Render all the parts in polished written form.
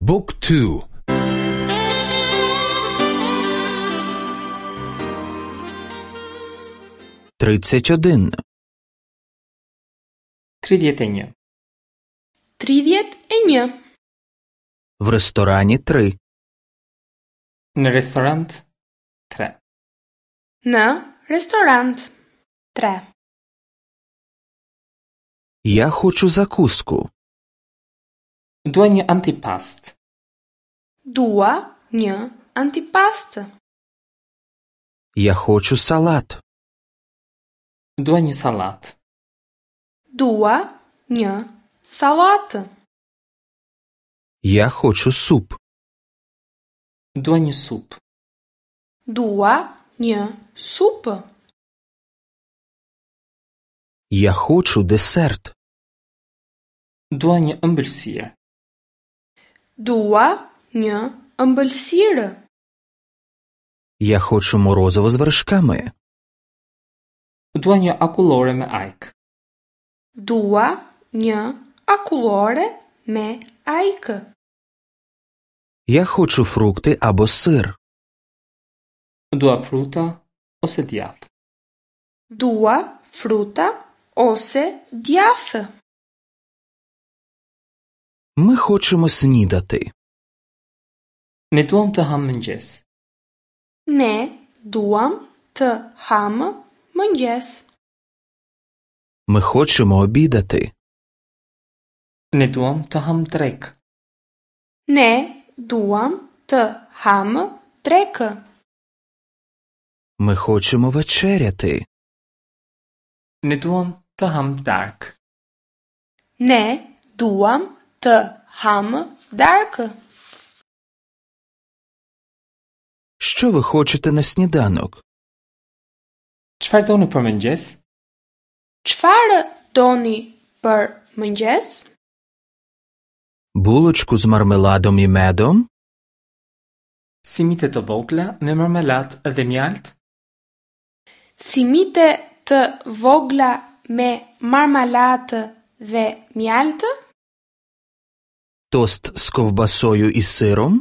Book 2 31. 31. 31. В ресторані 3. Në restorant 3. Në restorant 3. Я хочу закуску. Dua një antipast. Dua një antipastë. Я хочу салат. Dua një sallatë. Dua një sallatë. Я хочу суп. Dua një supë. Dua një supë. Я хочу десерт. Dua një ëmbëlsirë. Dua një ëmbëlsirë. Я хочу морозиво з вершками. Dua një akullore me ajkë. Dua një akullore me ajkë. Я хочу фрукти або сир. Dua fruta ose djathë. Dua fruta ose djathë. Ми хочемо снідати. Ne duam të hamë mëngjes. Ne duam të hamë mëngjes. Ми хочемо обідати. Ne duam të hamë drekë. Ne duam të hamë drekë. Ми хочемо вечеряти. Ne duam të hamë darkë. Ne duam të hamë darkë. Що ви хочете на сніданок? Çfarë doni për mëngjes? Çfarë doni për mëngjes? Булочку з мармеладом і медом? Simite të vogla me marmelat dhe mjaltë? Simite të vogla me marmalatë dhe mjaltë? Тост з ковбасою і сиром?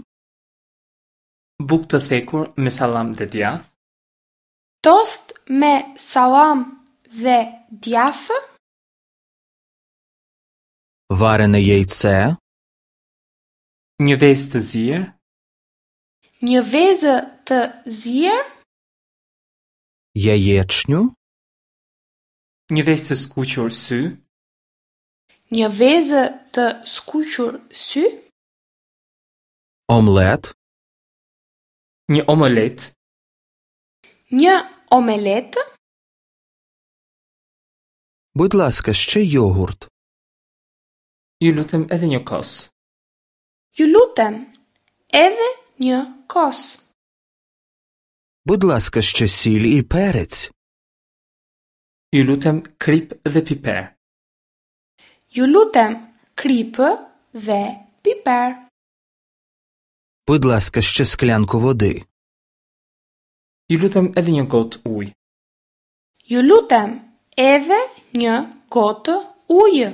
Bukë të thekur me sallam dhe djathë? Tost me sallam dhe djathë? Варене яйце? Një vezë të zier? Një vezë të zier? Яєчню? Një vezë të skuqur sy? Një vezë të skuqur sy? Омлет? Një omelet? Një omeletë? Будь ласка, ще йогурт. Ju lutem edhe një kos. Ju lutem, edhe një kos. Будь ласка, ще сіль і перець. Ju lutem krip dhe piper. Ju lutem, kripë dhe piper. Будь ласка, ще склянку води. Ju lutem edhe një gotë ujë. Ju lutem, edhe një gotë ujë.